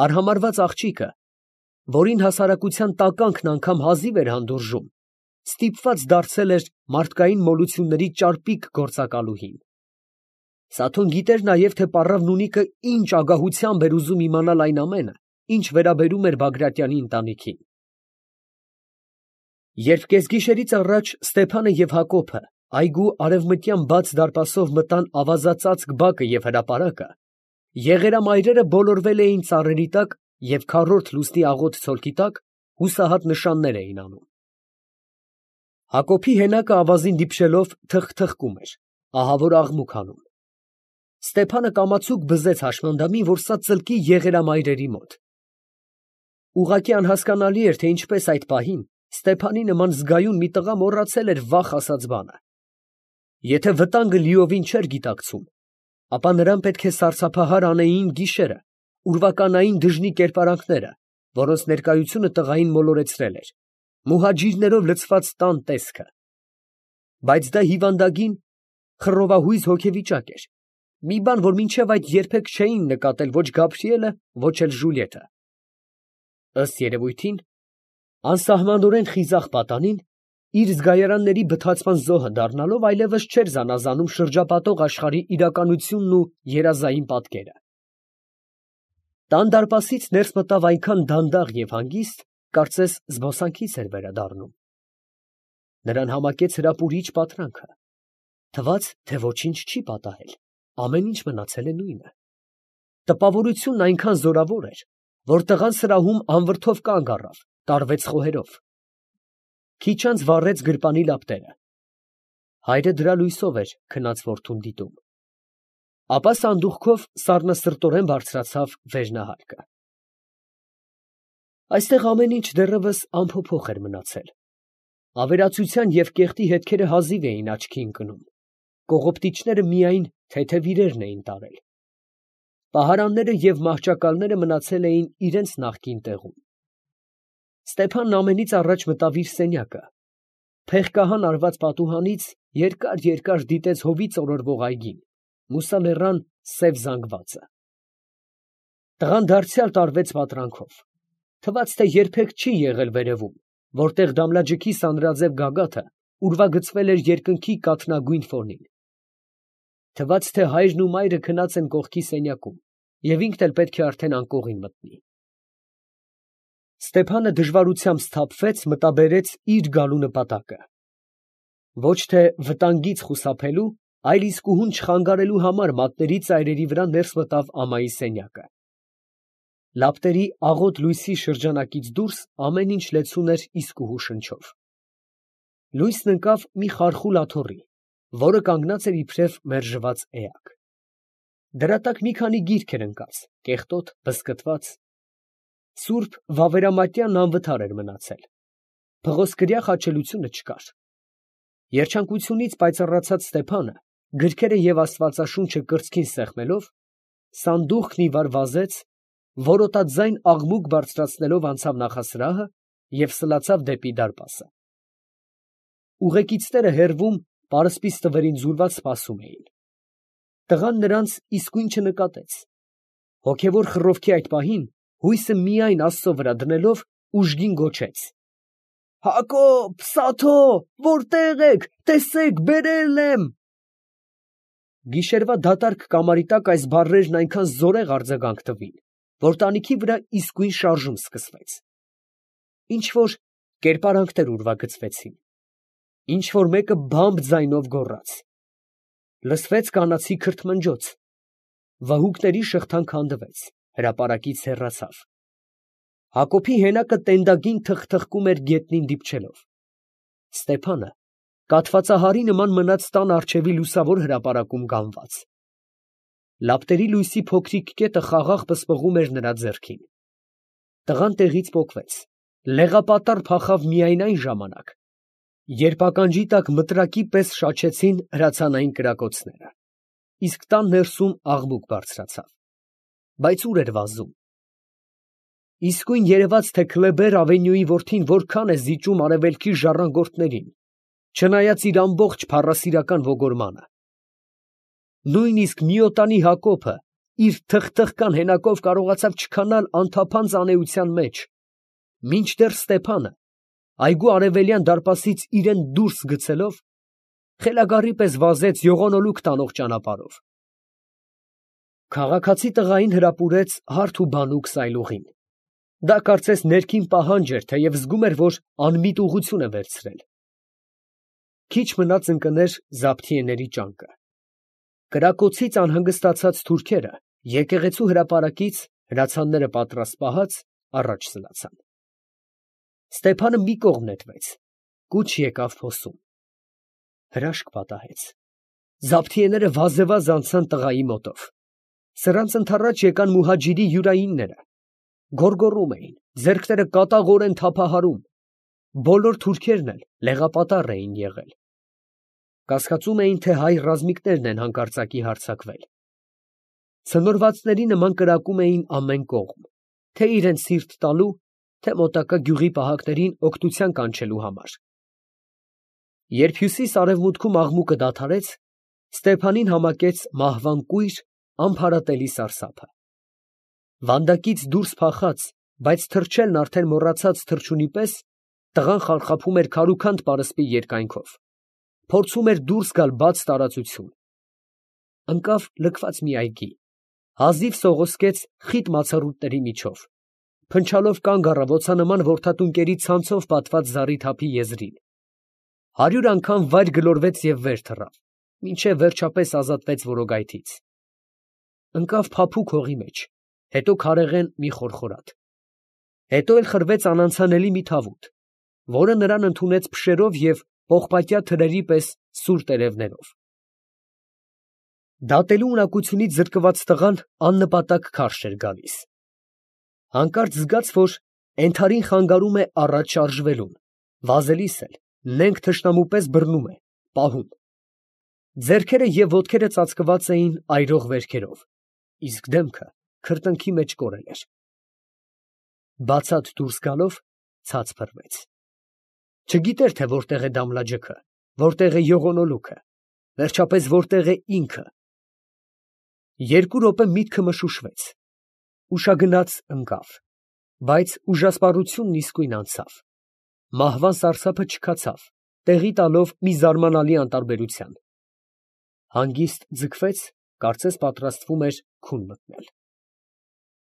Արհամարհված աղջիկը, որին հասարակության տականքն անգամ հազիվ էր հանդուրժում, ստիպված դարձել էր մարդկային մոլությունների ճարպիկ գործակալուհին։ Սաթուն գիտեր նաև, թե պառավնունիկը ինչ ագահությամբ էր ուզում իմանալ այն ամենը, ինչ վերաբերում էր Բագրատյանի ընտանիքին։ Երբ կեսգիշերից առաջ Ստեփանը և Հակոբը այգու արևմտյան բաց դարպասով մտան ավազածածկ բակը և հրապարակը, եղերամայրերը բոլորվել էին ծառերի տակ և քառորդ լուսնի աղոտ ցոլքի տակ հուսահատ նշաններ էին անում։ Հակոբի հենակը ավազին դիպչելով թխթխկում էր, ահավոր աղմուկ անում։ Ստեփանը կամացուկ բզեց հաշմանդամին, որ սա ծլկի եղերամայրերի մոտ։ Ուղղակի անհասկանալի էր, թե ինչպես այդ պահին Ստեփանի նման զգայուն մի տղա մոռացել էր վախ ասած բանը։ Եթե վտանգը լիովին չէր գիտակցում, ապա նրան պետք է սարսափահար անեին գիշերը, ուրվականային դժնի կերպարանքները, որոնց ներկայությունը տղային մոլորեցրել էր, մուհաջիրներով լցված տան տեսքը։ Բայց դա հիվանդագին, խռովահույզ հոգեվիճակ էր, մի բան, որ մինչև այդ երբեք չէին նկատել ոչ Գաբրիելը, ոչ էլ Ժուլիետը։ Ըստ երևույթին, անսահմանորեն խիզախ պատանին, իր զգայարանների բթացման զոհը դառնալով, այլևս չէր զանազանում շրջապատող աշխարհի իրականությունն ու երազային պատկերը։ Տան դարպասից ներս մտավ այնքան դանդաղ և հանգիստ, կարծես զբոսանքից էր վերադառնում։ Նրան համակեց հրապուրիչ պատրանքը, թվաց, թե ոչինչ չի պատահել, ամեն ինչ մնացել է նույնը։ Տպավորությունն այնքան զորավոր էր, որ տղան սրահում անվրդով կանգ առավ, տարվեց խոհերով։ Քիչ անց վառեց գրպանի լապտերը։ Հայրը դրա լույսով էր քնած որդուն դիտում։ Ապա սանդուղքով սառնասրտորեն բարձրացավ վերնահարկը։ Այստեղ ամեն ինչ դեռևս անփոփոխ էր մնացել։ Ավերածության և կեղտի հետքերը հազիվ էին աչքի ընկնում։ Կողոպտիչները միայն թեթև իրերն էին տարել։ Պահարանները և մահճակալները մնացել էին իրենց նախկին տեղում։ Ստեփանն ամենից առաջ մտավ իր սենյակը, փեղկահան արված պատուհանից երկար դիտեց հովից օրորվող այգին, մուսալեռան սև զանգվածը։ Տղան դարձյալ տարվեց պատրանքով, թվաց, թե երբեք չի եղել վերևում, որտեղ Դամլաջիքի սանրաձև գագաթը ուրվագծվել էր երկնքի կաթնագույն ֆոնին։ Թվաց, թե հայրն ու մայրը քնած են կողքի սենյակում, և ինքն էլ պետք է արդեն անկողին մտնի։ Ստեփանը դժվարությամբ սթափվեց, մտաբերեց իր գալու նպատակը։ Ոչ թե վտանգից խուսափելու, այլ իսկուհուն չխանգարելու համար մատների ծայրերի վրա ներս մտավ ամայի սենյակը։ Լապտերի աղոտ լույսի շրջանակից դուրս ամեն ինչ լեցուն էր իսկուհու շնչով։ Լույսն ընկավ մի խարխուլ աթոռի, որը կանգնած էր իբրև մերժված էակ։ Դրա տակ մի քանի գիրք էր ընկած, կեղտոտ, բզկտված։ Սուրբ Վավերամատյանն անվթար էր մնացել։ Փղոսկրյա խաչելությունը չկար։ Երջանկությունից պայծառացած Ստեփանը, գրքերը և Աստվածաշունչը կրծքին սեղմելով, սանդուղքն ի վար վազեց, որոտաձայն աղմուկ բարձրացնելով անցավ նախասրահը և սլացավ դեպի դարպասը։ Ուղեկիցները հեռվում պարսպի ստվերին ձուլված սպասում էին։ Տղան նրանց իսկույն չնկատեց։ Հոգևոր խռովքի այդ պահին հույսը միայն Աստծո վրա դնելով ուժգին գոչեց. «Հակոբ, Սաթո, որտե՞ղ եք, տեսեք, բերել եմ»։ Գիշերվա դատարկ կամարի տակ այս բառերն այնքան զորեղ արձագանք տվին, որ տանիքի վրա իսկույն շարժում սկսվեց։ Ինչ֊որ կերպարանքներ ուրվագծվեցին, ինչ֊որ մեկը բամբ ձայնով գոռաց։ Լսվեց կանացի քրթմնջոց, վհուկների շղթան քանդվեց, հրապարակից հեռացավ։ Հակոբի հենակը տենդագին թխթխկում էր գետնին դիպչելով։ Ստեփանը կաթվածահարի նման մնաց տան առջևի լուսավոր հրապարակում կանգնած։ Լապտերի լույսի փոքրիկ կետը խաղաղ պսպղում էր նրա ձեռքին։ Տղան տեղից պոկվեց, լեղապատառ փախավ միայն այն ժամանակ, երբ ականջի տակ մտրակի պես շաչեցին հրացանային կրակոցները, իսկ տան ներսում աղմուկ բարձրացավ։ Բայց ուր էր վազում։ Իսկույն երևաց, թե Քլեբեր ավենյուի որդին որքան է զիջում արևելքի ժառանգորդներին, չնայած իր ամբողջ փառասիրական ոգորմանը։ Նույնիսկ միոտանի Հակոբը, իր թխթխկան հենակով կարողացավ չքանալ անթափանց անեության մեջ, մինչդեռ Ստեփանը, այգու արևելյան դարպասից իրան դուրս գցելով, խելագարի պես վազեց յողոնոլուք տանող ճանապարհով։ Քաղաքացի տղային հրապուրեց հարթ ու բանուկ սայլուղին։ Դա կարծես ներքին պահանջ էր, թեև զգում էր, որ անմիտ ուղղություն է վերցրել։ Քիչ մնաց ընկներ զաբթիեների ճանկը։ Կրակոցից անհանգստացած թուրքերը եկեղեցու հրապարակից, հրացանները պատրաստ պահած, առաջ սլացան։ Ստեփանը մի կողմ նետվեց, կուչ եկավ փոսում։ Հրաշք պատահեց։ Զաբթիեները վազևազ անցան տղայի մոտով։ Սրանց ընդառաջ եկան մուհաջիրի յուրայինները, գոռգոռում էին, ձեռքները կատաղորեն թափահարում։ Բոլոր թուրքերն էլ լեղապատառ էին եղել։ Կասկածում էին, թե հայ ռազմիկներն են հանկարծակի հարձակվել։ Ցնորվածների նման կրակում էին ամեն կողմ, թե իրենց սիրտ տալու, թե մոտակա գյուղի պահակներին օգնության կանչելու համար։ Երբ հյուսիս֊արևմուտքում աղմուկը դադարեց, Ստեփանին համակեց մահվան կույր, ամփարատելի սարսափը։ Վանդակից դուրս փախած, բայց թրջելն արդեն մոռացած թռչունի պես, տղան խարխափում էր քարուքանդ պարսպի երկայնքով, փորձում էր դուրս գալ բաց տարածություն։ Ընկավ լքված մի այգի, հազիվ սողոսկեց խիտ մացառուտների միջով, փնչալով կանգ առավ օձանման որդատունկերի ցանցով պատված զառիթափի եզրին։ 100 անգամ վայր գլորվեց և վեր թռավ, մինչև վերջապես ազատվեց որոգայթից։ Ընկավ փափուկ հողի մեջ, հետո քարեղեն մի խորխորատ։ Հետո էլ խրվեց անանցանելի մի թավուտ, որը նրան ընդունեց փշերով և պողպատյա թրերի պես սուր տերևներով։ Դատելու ունակությունից զրկված տղան աննպատակ քարշ էր գալիս։ Հանկարծ զգաց, որ ենթարին խանգարում է առաջ շարժվելուն, վազելիս էլ նենգ թշնամու պես բռնում է, պահում։ Ձեռքերը և ոտքերը ծածկված էին այրող վերքերով, իսկ դեմքը քրտինքի մեջ կորել էր։ Բացատ դուրս գալով ցած փռվեց։ Չգիտեր, թե որտեղ է Դամլաջեքը, որտեղ է յողոնոլուքը, վերջապես որտեղ է ինքը։ 2 րոպե միտքը մշուշվեց, ուշագնաց ընկավ, բայց ուժասպառությունն իսկույն անցավ։ Մահվան սարսափը չքացավ, տեղի տալով մի զարմանալի անտարբերության։ Հանգիստ ձգվեց, կարծես պատրաստվում էր քուն մտնել։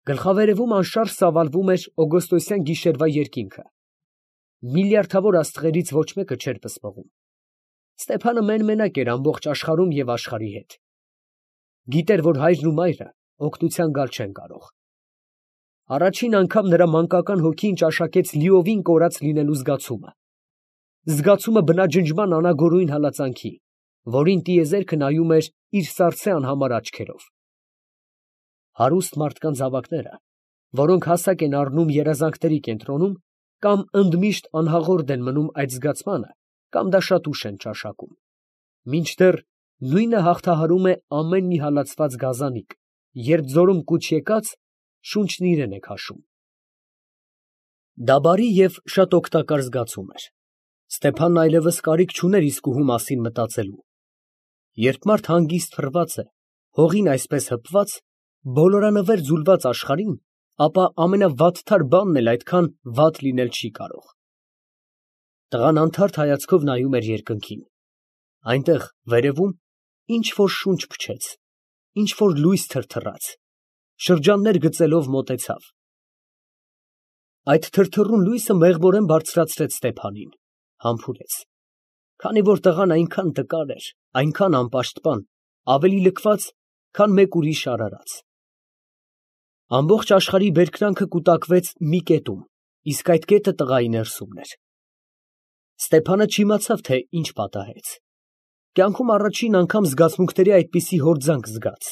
Գլխավերևում անշարժ ծավալվում էր օգոստոսյան գիշերվա երկինքը։ Միլիարդավոր աստղերից ոչ մեկը չէր պսպղում։ Ստեփանը մեն֊մենակ էր ամբողջ աշխարհում և աշխարհի հետ։ Գիտեր, որ հայրն ու մայրը օգնության գալ չեն կարող։ Առաջին անգամ նրա մանկական հոգին ճաշակեց լիովին կորած լինելու զգացումը։ Զգացումը բնաջնջման անագորույն հալածանքի, որին տիեզերքը նայում էր իր սառցե անհամար աչքերով։ Հարուստ մարդկանց զավակները, որոնք հասակ են առնում երազանքների կենտրոնում, կամ ընդմիշտ անհաղորդ են մնում այդ զգացմանը, կամ դա շատ ուշ են ճաշակում, մինչդեռ նույնը հաղթահարում է ամեն մի հալածված գազանիկ, երբ ձորում կուչ եկած, շունչն իրեն է քաշում։ Դա բարի և շատ օգտակար զգացում էր։ Ստեփանն այլևս կարիք չուներ իսկուհու մասին մտածելու։ Երբ մարդ հանգիստ փռված է, հողին այսպես հպված, բոլորանվեր ձուլված աշխարհին, ապա ամենավատթար բանն էլ այդքան վատ լինել չի կարող։ Տղան անթարթ հայացքով նայում էր երկնքին։ Այնտեղ, վերևում, ինչ֊որ շունչ փչեց, ինչ֊որ լույս թրթռաց, շրջաններ գծելով մոտեցավ։ Այդ թրթռուն լույսը մեղմորեն բարձրացրեց Ստեփանին, համբուրեց, քանի որ տղան այնքան տկար էր, այնքան անպաշտպան, ավելի լքված, քան մեկ ուրիշ արարած։ Ամբողջ աշխարհի բերկրանքը կուտակվեց մի կետում, իսկ այդ կետը տղայի ներսումն էր։ Ստեփանը չիմացավ, թե ինչ պատահեց։ Կյանքում առաջին անգամ զգացմունքների այդպիսի հորձանք զգաց։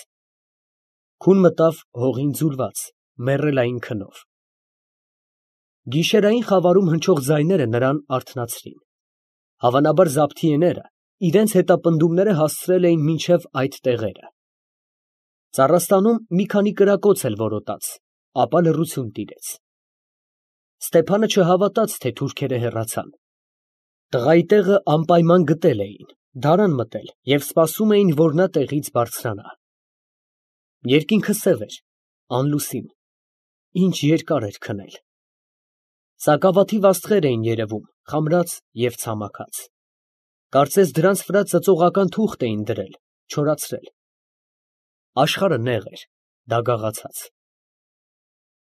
Քուն մտավ հողին ձուլված, մեռելային քնով։ Գիշերային խավարում հնչող ձայները նրան արթնացրին։ Հավանաբար զաբթիեները իրենց հետապնդումները հասցրել էին մինչև այդ տեղերը։ Ծառաստանում մի քանի կրակոց էլ որոտաց, ապա լռություն տիրեց։ Ստեփանը չհավատաց, թե թուրքերը հեռացան։ Տղայի տեղը անպայման գտել էին, դարան մտել և սպասում էին, որ նա տեղից բարձրանա։ Երկինքը սև էր, անլուսին, ինչ երկար էր քնել։ Սակավաթիվ աստղեր էին երևում, խամրած և ցամաքած։ Կարծես դրանց վրա ծծողական թուղթ էին դրել, չորացրել։ Աշխարհը նեղ էր, դագաղացած։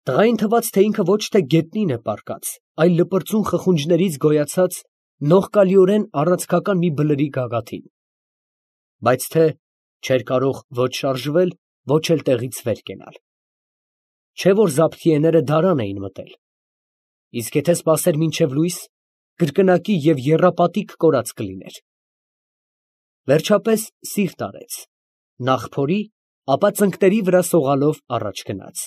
Տղային թվաց, թե ինքը ոչ թե գետնին է պառկած, այլ լպրծուն խխունջներից գոյացած նողկալիորեն առանցքական մի բլրի գագաթին, բայց թե չէր կարող ոչ շարժվել, ոչ էլ տեղից վեր կենալ։ Չէ որ զաբթիեները դարան էին մտել, իսկ եթե սպասեր մինչև լույս, կրկնակի և եռապատիկ կորած կլիներ։ Վերջապես սիրտ արեց, նախ փորի, ապա ծնկների վրա սողալով առաջ գնաց։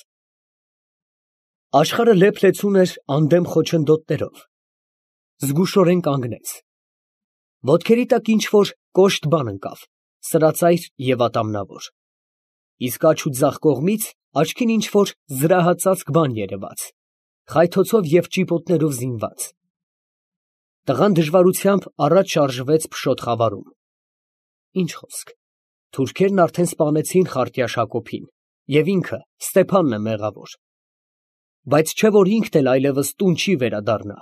Աշխարհը լեփ֊լեցուն էր անդեմ խոչընդոտներով, զգուշորեն կանգնեց։ Ոտքերի տակ ինչ֊որ կոշտ բան ընկավ, սրածայր և ատամնավոր, իսկ աջ ու ձախ կողմից աչքին ինչ֊որ զրահածածկ բան երևաց, խայթոցով և ճիպոտներով զինված։ Տղան դժվարությամբ առաջ շարժվեց փշոտ խավարում։ Ինչ խոսք, թուրքերն արդեն սպանեցին Խարտյաշ Հակոբին, և ինքը, Ստեփանն է մեղավոր։ Բայց չէ որ ինքն էլ այլևս տուն չի վերադառնա։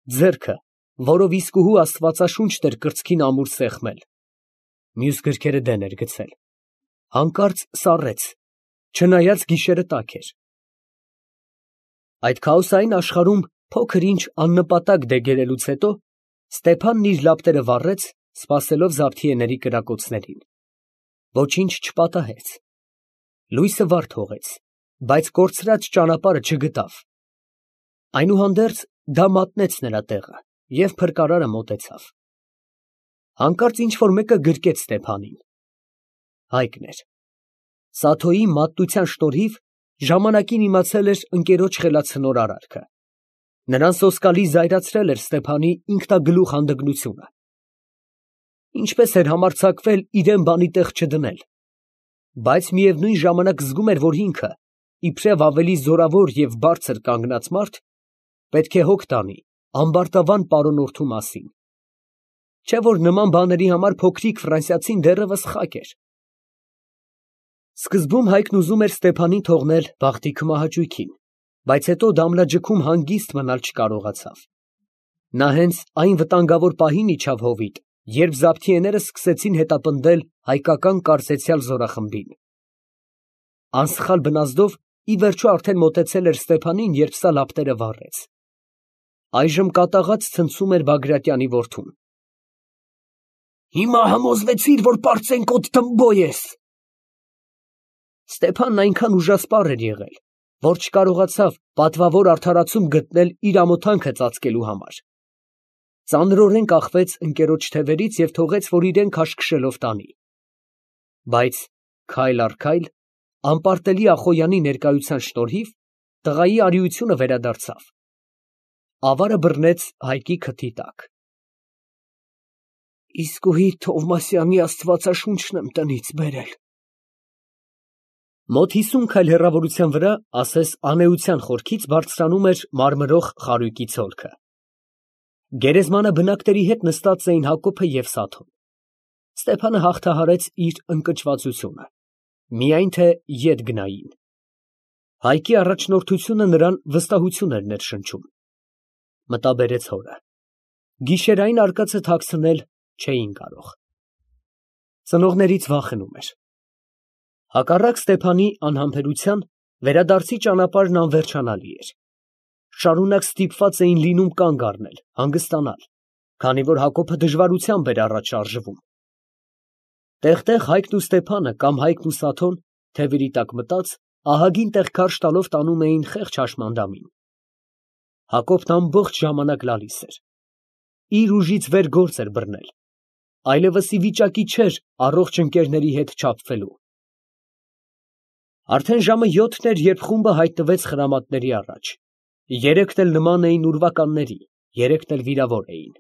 Ձեռքը, որով իսկուհու աստվածաշունչն էր կրծքին ամուր սեղմել, մյուս գրքերը դեն էր գցել, հանկարծ սառեց, չնայած գիշերը տաք էր։ Այդ քաոսային աշխարհում փոքր ինչ աննպատակ դեգերելուց հետո Ստեփանն իր լապտերը վառեց, սպասելով զաբթիեների կրակոցներին։ Ոչինչ չպատահեց։ Լույսը վար թողեց, բայց կորցրած ճանապարհը չգտավ։ Այնուհանդերձ դա մատնեց նրա տեղը և փրկարարը մոտեցավ։ Հանկարծ ինչ֊որ մեկը գրկեց Ստեփանին։ Հայկն էր։ Սաթոյի մատնության շնորհիվ ժամանակին իմացել էր ընկերոջ խելացնոր արարքը։ Նրան սոսկալի զայրացրել էր Ստեփանի ինքնագլուխ հանդգնությունը։ Ինչպես էր համարձակվել իրան բանի տեղ չդնել, բայց միևնույն ժամանակ զգում էր, որ ինքը, իբրև ավելի զորավոր և բարձր կանգնած մարդ, պետք է հոգ տանի ամբարտավան պարոնորդու մասին։ Չէ որ նման բաների համար փոքրիկ ֆրանսիացին դեռևս խակ էր։ Սկզբում Հայկն ուզում էր Ստեփանին թողնել բախտի քմահաճույքին, բայց հետո դամլաջքում հանգիստ մնալ չկարողացավ։ Նա հենց այն վտանգավոր պահին իջավ հովիտ, երբ զաբթիեները սկսեցին հետապնդել հայկական կարծեցյալ զորախմբին։ Անսխալ բնազդով ի վերջո արդեն մոտեցել էր Ստեփանին, երբ սա լապտերը վառեց։ Այժմ կատաղած ցնցում էր Բագրատյանի որդուն։ Հիմա համոզվեցի՞ր, որ պարծենկոտ թմբոյ ես։ Ստեփանն այնքան ուժասպառ էր եղել, որ չկարողացավ պատվավոր արդարացում գտնել իր ամոթանքը ծածկելու համար։ Ծանրորեն կախվեց ընկերոջ թևերից և թողեց, որ իրեն քաշքշելով տանի։ Բայց քայլ առ քայլ, անպարտելի Ախոյանի ներկայության շնորհիվ, տղայի արիությունը վերադարձավ։ Ավարը բռնեց Հայկի քթի տակ։ Իսկուհի Թովմասյանի աստվածաշունչն եմ տնից բերել։ Մոտ 50 քայլ հեռավորության վրա, ասես անէության խորքից, բարձրանում էր մարմրող խարույկի ցոլքը։ Գերեզմանը բնակների հետ նստած էին Հակոբը և Սաթոն։ Ստեփանը հաղթահարեց իր ընկճվածությունը, միայն թե ետ գնային։ Հայկի առաջնորդությունը նրան վստահություն էր ներշնչում։ Մտաբերեց հորը։ Գիշերային արկածը թաքցնել չէին կարող։ Ծնողներից վախենում էր։ Հակառակ Ստեփանի անհամբերության, վերադարձի ճանապարհն անվերջանալի էր։ Շարունակ ստիպված էին լինում կանգ առնել, հանգստանալ, քանի որ Հակոբը դժվարությամբ էր առաջ շարժվում։ Տեղ֊տեղ Հայկն ու Ստեփանը կամ Հայկն ու Սաթոն, թևերի տակ մտած, ահագին տեղ քարշ տալով տանում էին խեղճ հաշմանդամին։ Հակոբն ամբողջ ժամանակ լալիս էր։ Իր ուժից վեր գործ էր բռնել, այլևս ի վիճակի չէր առողջ ընկերների հետ չափվելու։ Արդեն ժամը 7-ն էր, երբ խումբը հայտնվեց խրամատների առաջ։ Երեքն էլ նման էին ուրվականների, երեքն էլ վիրավոր էին։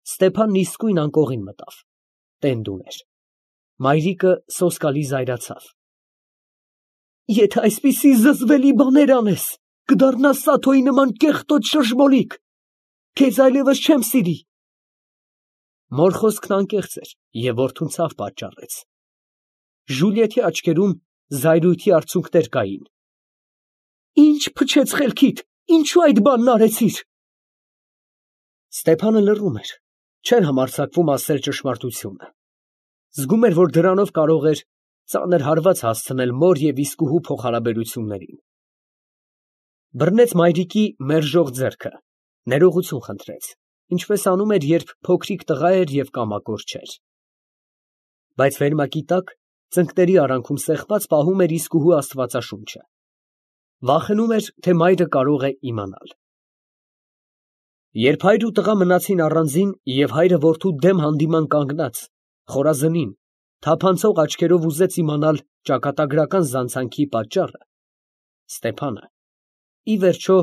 Ստեփանն իսկույն անկողին մտավ, տենդ ուներ։ Մայրիկը սոսկալի զայրացավ։ Եթե այսպիսի զզվելի բաներ անես, կդառնաս Սաթոյի նման կեղտոտ շշմոլիկ, քեզ այլևս չեմ սիրի։ Մոր խոսքն անկեղծ էր և որդուն ցավ պատճառեց։ Ժուլիետի աչքերում զայրույթի արցունքներ կային։ Ինչ փչեց խելքիդ, ինչու այդ բանն արեցիր։ Ստեփանը լռում էր, չէր համարձակվում ասել ճշմարտությունը։ Զգում էր, որ դրանով կարող էր ծանր հարված հասցնել մոր և իսկուհու փոխհարաբերություններին։ Բռնեց մայրիկի մերժող ձեռքը, ներողություն խնդրեց, ինչպես անում էր, երբ փոքրիկ տղա էր և կամակոր չէր։ Բայց վերմակի տակ, ծնկների արանքում սեղմած պահում էր իսկուհու աստվածաշունչը։ Վախենում էր, թե մայրը կարող է իմանալ։ Երբ հայր ու տղա մնացին առանձին և հայրը որդու դեմ հանդիման կանգնած, խորազնին, թափանցող աչքերով ուզեց իմանալ ճակատագրական զանցանքի պատճառը, Ստեփանը, ի վերջո,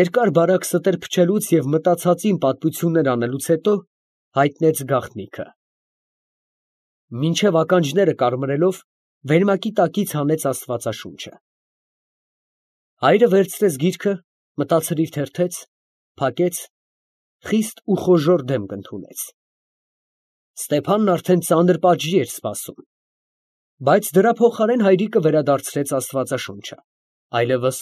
երկար֊բարակ ստեր փչելուց և մտածածին պատմություններ անելուց հետո, հայտնեց գաղտնիքը։ Մինչև ականջները կարմրելով, վերմակի տակից հանեց աստվածաշունչը։ Հայրը վերցրեց գիրքը, մտացրիվ թերթեց, փակեց, խիստ ու խոժոռ դեմք ընդունեց։ Ստեփանն արդեն ծանր պատժի էր սպասում, բայց դրա փոխարեն հայրիկը վերադարձրեց աստվածաշունչը, այլևս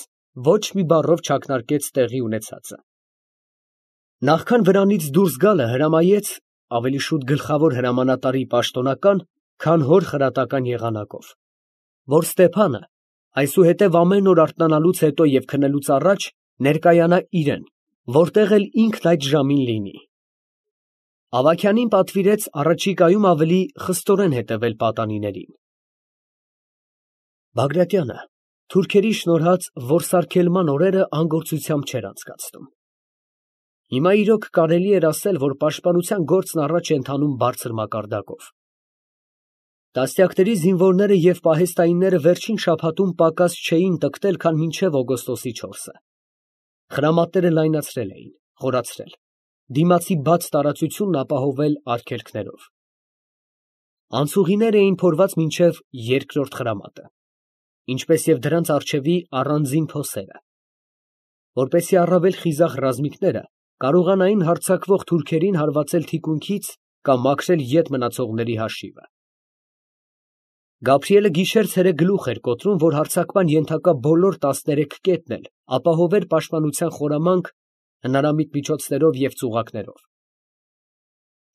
ոչ մի բառով չակնարկեց տեղի ունեցածը։ Նախքան վրանից դուրս գալը հրամայեց, ավելի շուտ գլխավոր հրամանատարի պաշտոնական, քան հոր խրատական եղանակով, որ Ստեփանը այսուհետև ամեն օր արթնանալուց հետո և քնելուց առաջ ներկայանա իրեն, որտեղ էլ ինքն այդ ժամին լինի։ Ավագյանին պատվիրեց առաջիկայում ավելի խստորեն հետևել պատանիներին։ Բագրատյանը թուրքերի շնորհած որսարգելման օրերը անգործությամբ չէր անցկացնում։ Հիմա իրոք կարելի էր ասել, որ պաշտպանության գործն առաջ է ընթանում բարձր մակարդակով։ Տասնյակների զինվորները և պահեստայինները վերջին շաբաթում պակաս չէին տկտել, քան մինչև օգոստոսի 4-ը։ Խրամատները լայնացրել էին, խորացրել, դիմացի բաց տարածությունն ապահովել արգելքներով։ Անցուղիներ էին փորված մինչև երկրորդ խրամատը, ինչպես և դրանց առջևի առանձին փոսերը, որպեսզի առավել խիզախ ռազմիկները կարողանային հարձակվող թուրքերին հարվածել թիկունքից կամ մաքրել ետ մնացողների հաշիվը։ Գաբրիելը գիշեր֊ցերեկ գլուխ էր կոտրում, որ հարձակման ենթակա բոլոր 13 կետն էլ ապահովեր պաշտպանության խորամանկ հնարամիտ միջոցներով և ծուղակներով։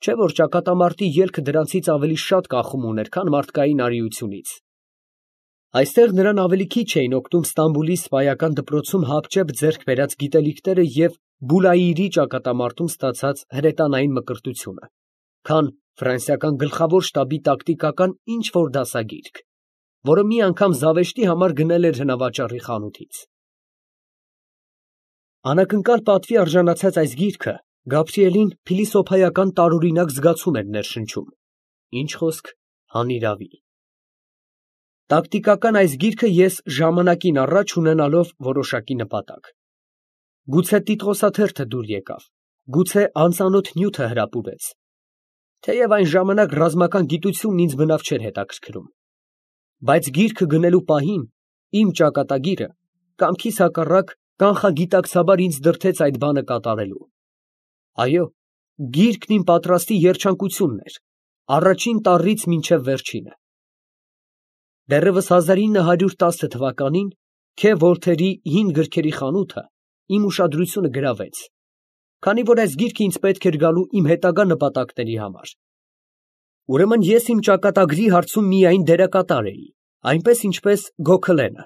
Չէ՞ որ ճակատամարտի ելքը դրանցից ավելի շատ կախում ուներ, քան մարդկային արիությունից։ Այստեղ նրան ավելի քիչ էին օգնում Ստամբուլի սպայական դպրոցում հապճեպ ձեռք բերած գիտելիքները և Բուլայիրի ճակատամարտում ստացած հրետանային մկրտությունը, քան ֆրանսիական գլխավոր շտաբի տակտիկական ինչ֊որ դասագիրք, որը մի անգամ զավեշտի համար գնել էր հնավաճառի խանութից։ Անակնկալ պատվի արժանացած այս գիրքը Գաբրիելին փիլիսոփայական տարօրինակ զգացում էր ներշնչում, ինչ խոսք հանիրավի։ Տակտիկական այս գիրքը ես ժամանակին առաջ ունենալով որոշակի նպատակ։ Գուցե տիտղոսաթերթը դուր եկավ, գուցե անծանոթ նյութը հրապուրեց, թեև այն ժամանակ ռազմական գիտությունն ինձ բնավ չէր հետաքրքրում, բայց գիրքը գնելու պահին իմ ճակատագիրը կամքիս հակառակ կանխագիտակցաբար ինձ դրդեց այդ բանը կատարելու։ Այո, գիրքն իմ պատրաստի երջանկությունն էր, առաջին տառից մինչև վերջինը։ Դեռևս 1910 թվականին Քե Վոլթերի հին գրքերի խանութը իմ ուշադրությունը գրավեց, քանի որ այս գիրքը ինձ պետք էր գալու իմ հետագա նպատակների համար։ Ուրեմն ես իմ ճակատագրի հարցում միայն դերակատար էի, այնպես ինչպես Գոքլենը,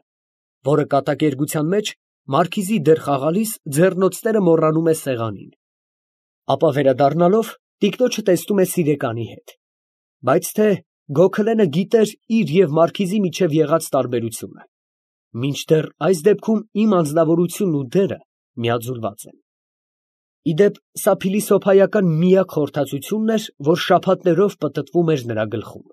որը կատակերգության մեջ մարքիզի դեր խաղալիս ձեռնոցները մոռանում է սեղանին, ապա վերադառնալով տիկնոջը տեսնում է սիրեկանի հետ, բայց թե Գոքլենը գիտեր իր և մարքիզի միջև եղած տարբերությունը, մինչդեռ այս դեպքում իմ անձնավորությունն ու դերը միաձուլված են։ Ի դեպ, սա փիլիսոփայական միակ խորհրդածությունն էր, որ շաբաթներով պտտվում էր նրա գլխում։